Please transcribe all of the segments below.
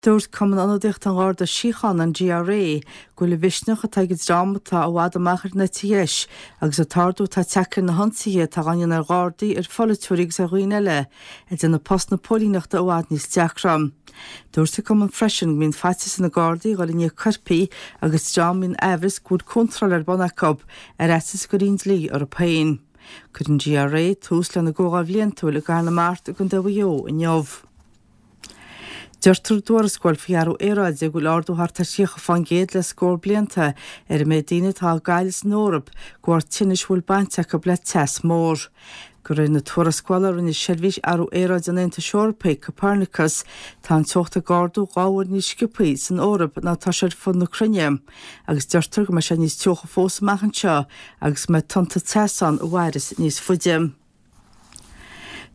Dúirt Cumann Ionadaíochta an Gharda Síochána, an GRA, go bhfuil an mhisneach atá ag an dream atá i bhfad amach ar an eite dheis agus an t-ardú atá tagtha ar na hionsaithe atá á ndéanamh ar Ghardaí, ar pholaiteoirí agus ar dhaoine eile ag déanamh post na póilíneachta i bhfad níos deacra. Dúirt an cumann freisin go mbíonn faitíos ar na Gardaí a dhul i ndiaidh coirpigh agus dream a mbíonn aimhreas go bhfuil contráil ar bun acu, ar fhaitíos go gcuirfí an dlí orthu féin. Cuirfidh an GRA tús lena gcomhdháil bhliantúil i gCathair na Mart i gContae Mhaigh Eo inniu. Deirtear i dtuarascáil faoi athrú aeráide go bhfuil ardú thart ar 30% le scór blianta ar an méid daoine atá á gcailleadh san Eoraip de bharr tinnis a bhfuil baint acu le teas mór. De réir na tuarascála a rinne Seirbhís Athrú Aeráide an Aontais Eorpaigh, Copernicus, tá an teocht ag ardú 2 uair níos sciobthaí san Eoraip ná atá sé ar fud na cruinne agus deirtear go mbeidh sé níos teocha fós amach anseo agus go mbeidh tonnta teasa ann a mhairfeas níos faide.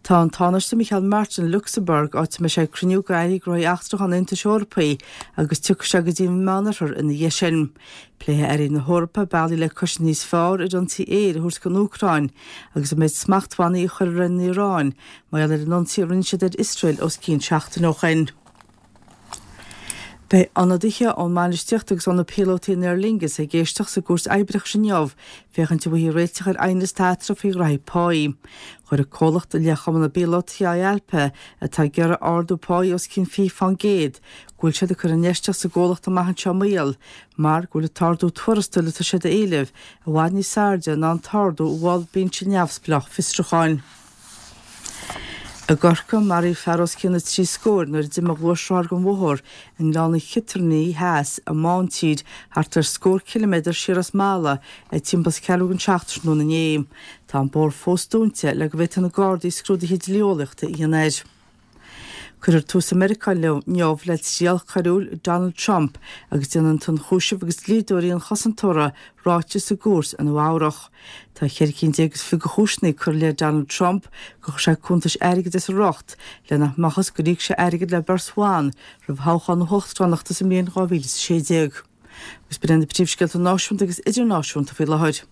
Tá an Tánaiste Micheál Martin i Lucsamburg, áit a mbeidh sé ag cruinniú d'airí gnóthaí eachtracha an Aontais Eorpaigh agus tiocfaidh sé go dtí an Meánoirthear ina dhiaidh sin. Pléifidh airí na hEorpa bealaí le cosaint níos fearr ar ionsaí aeir a thabhairt don Úcráin agus an méid smachtbhannaí a chur ar an Iaráin mar gheall ar an ionsaí a rinne siad ar Iosrael os cionn seachtain ó shin. Beidh ionadaithe ón mbainistíocht agus ó na píolótaí in Aer Lingus ag éisteacht sa gCúirt Oibreachais inniu féachaint an bhfaighfí réiteach ar aighneas atá eatarthu faoi ghraithí páí. Chuir an comhlacht i leith Chumann na bPíolótaí IALPA, atá ag iarraidh ardú páí os cionn 20%, go bhfuil siad ag cur infheistíocht sa gcomhlacht amach anseo i mbaol mar go bhfuil an t-ardú tuarastail atá siad a éileamh i bhfad níos airde ná an t-ardú a mhol binse neamhspleách fiosrúcháin. I gCorcaigh, maraíodh fear os cionn na dtrí scóir nuair a d'imigh a ghluaisrothar den bhóthar i nGleann an Chiotairní Theas i mBántír, thart ar scór ciliméadar siar as Mala, ag timpeall is ceathrú don seacht tráthnóna inné. Tá an bóthar fós dúnta le go bhféadfaidh na Gardaí scrúduithe dlí-eolaíochta a dhéanamh air. Cuirfear tús i Meiriceá inniu le triail choiriúil Donald Trump agus déanfaidh an t-ionchúiseamh agus dlíodóirí an chosantóra ráiteas sa gcúirt i Nua Eabhrach. Tá 14 cinn is fiche de chúiseanna curtha i leith Donald Trump gur chuir sé cuntais airgid as a riocht le nach mbeadh fhios gur íoc sé airgead le beirt bhan roimh thoghchán na huachtaránachta sa mbliain 2016. Agus b'in iad na príomhscéalta náisiúnta agus idirnáisiúnta faoi láthair.